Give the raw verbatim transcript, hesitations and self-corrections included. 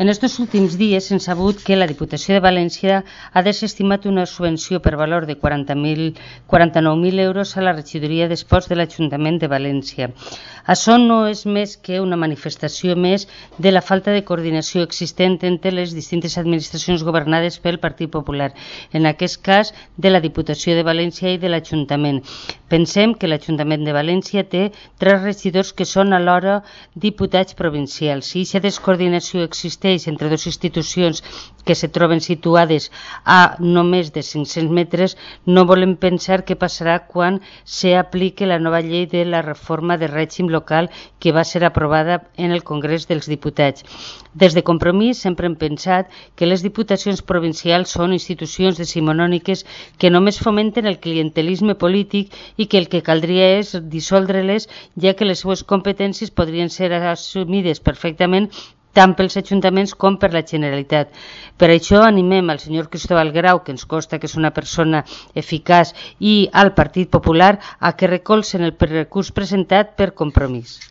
En estos últims dies hem sabut que la Diputació de València ha desestimat una subvenció per valor de quaranta-nou mil euros a la regidoria d'Esports de l'Ajuntament de València. Això no és més que una manifestació més de la falta de coordinació existent entre les distintes administracions governades pel Partit Popular, en aquest cas de la Diputació de València i de l'Ajuntament. Pensem que l'Ajuntament de València té tres regidors que són alhora diputats provincials. Si aquesta descoordinació existeix entre dues institucions que se troben situades a només de cinc-cents metres, no volem pensar què passarà quan s'apliqui la nova llei de la reforma de règim local que va ser aprovada en el Congrés dels Diputats. Des de Compromís sempre hem pensat que les diputacions provincials són institucions decimonòniques que només fomenten el clientelisme polític i que el que caldria és dissoldre-les, ja que les seues competències podrien ser assumides perfectament tant pels ajuntaments com per la Generalitat. Per això animem al senyor Cristóbal Grau, que ens consta que és una persona eficaç, i al Partit Popular a que recolzen el recurs presentat per Compromís.